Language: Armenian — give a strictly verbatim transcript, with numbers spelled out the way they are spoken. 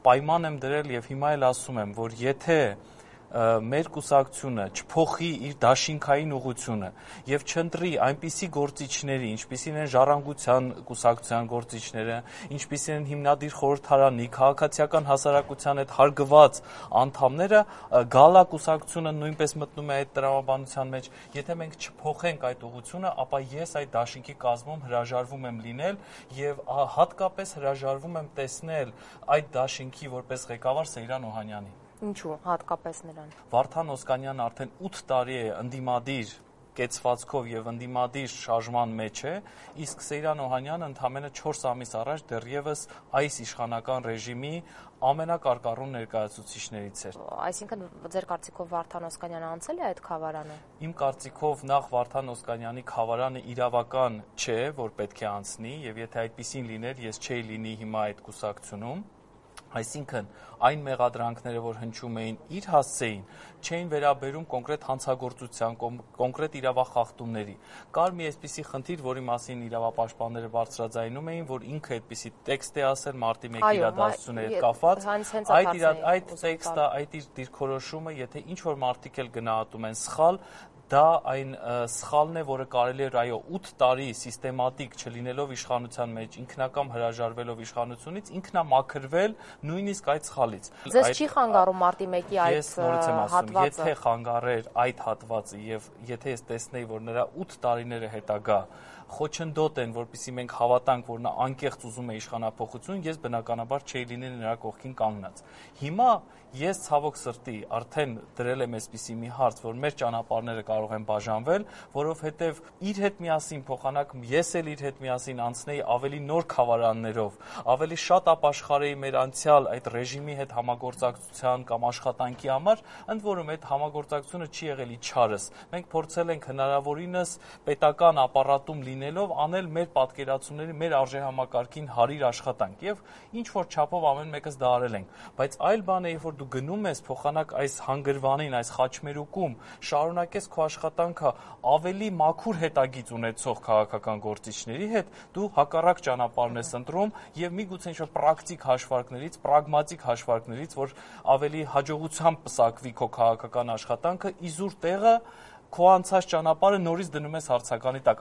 պայման եմ դրել եւ հիմա էլ ասում եմ, որ եթե մեր կուսակցությունը չփոխի իր դաշինքային ուղղությունը եւ չընտրի այնպիսի գործիչների, ինչպիսին են Ժառանգության կուսակցության գործիչները, ինչպիսին են հիմնադիր խորհրդարանի, քաղաքացիական հասարակության հետ հարգված անդամները, գալա կուսակցությունը նույնպես մտնում է այդ տրամաբանության մեջ, եթե մենք չփոխենք այդ ուղղությունը, ապա ես այդ դաշինքի կազմում հրաժարվում եմ լինել եւ հատկապես հրաժարվում եմ տեսնել այդ դաշինքի որպես ղեկավար Սեյրան Օհանյանի։ Ինչու հատկապես նրան։ Վարդան Օսկանյանը արդեն ութ տարի է ընդդիմադիր կեցվածքով եւ ընդդիմադիր շարժման մեջ է, իսկ Սեյրան Օհանյանը ընդամենը չորս ամիս առաջ դեռևս այս իշխանական ռեժիմի ամենակարկառուն ներկայացուցիչներից էր։ Այսինքն ձեր կարծիքով Վարդան Օսկանյանը անցել է այդ խավարանը։ Իմ կարծիքով նախ Վարդան Օսկանյանի խավարանը իրավական չէ, որ պետք է անցնի, եւ եթե այդպեսին լիներ, ես չէի լինի հիմա այդ կուսակցությունում։ Այսինքն այն մեղադրանքները, որ հնչում էին իր հասցեին, չէին վերաբերում կոնկրետ հանցագործության, կոնկրետ իրավախախտումների։ Կար մի այսպիսի խնդիր, որի մասին իրավապաշտպանները բարձրաձայնում էին, որ ինքը այդպիսի տեքստ է ասել մարտի մեկի իրադարձությունների հետ կապված։ Այդ այդ տեքստը, այդ իր դիրքորոշումը, եթե ինչ որ մարդիկ էլ գնահատում են սխալ, դա այն սխալն է, որը կարելի էր այո ութ տարի սիստեմատիկ չլինելով իշխանության մեջ, ինքնակամ հրաժարվելով իշխանությունից, ինքնամաքրվել նույնիսկ այդ սխալից։ Ձեզ չի խանգարում մարտի մեկի այդ հատվածը։ Եթե խանգարեր այդ հատվածը եւ եթե ես տեսնեի, որ նրա ութ տարիները հետագա խոչընդոտ են, որպեսզի մենք հավատանք, որ նա անկեղծ ուզում է իշխանափոխություն, ես բնականաբար չէի լինի նրա կողքին կանգնած։ Հիմա ես ցավոք սրտի արդեն դրել եմ այսպիսի մի հարց, որ մեր ճանապարհները կարող են բաժանվել, որովհետև իր հետ միասին փոխանակ ես էլ իր հետ միասին անցնեի ավելի նոր խավարաններով, ավելի շատ ապաշխարեի մեր անցյալ այդ ռեժիմի հետ համագործակցության կամ աշխատանքի համար, ընդ որում այդ համագործակցությունը չի եղել իչարս։ Մենք փորձել ենք հնարավորինս պետական ապարատում լինելով անել մեր պատկերացումների, մեր արժեհամակարգին հարիր աշխատանք եւ ինչ որ չափով ամեն մեկս դա արել ենք, բայց այլ բան է, երբ որ դու գնում ես փոխանակ այս հանգրվանին, այս խաչմերուկում, շարունակես քո աշխատանքը ավելի մաքուր հետագիծ ունեցող քաղաքական գործիչների հետ, դու հակառակ ճանապարհն ես ընտրում եւ միգուցե ինչ-որ պրակտիկ հաշվարկներից, պրագմատիկ հաշվարկներից, որ ավելի հաջողությամբ պսակվի քո քաղաքական աշխատանքը, իզուր տեղը քո անցած ճանապարհը նորից դնում ես հարցականի տակ։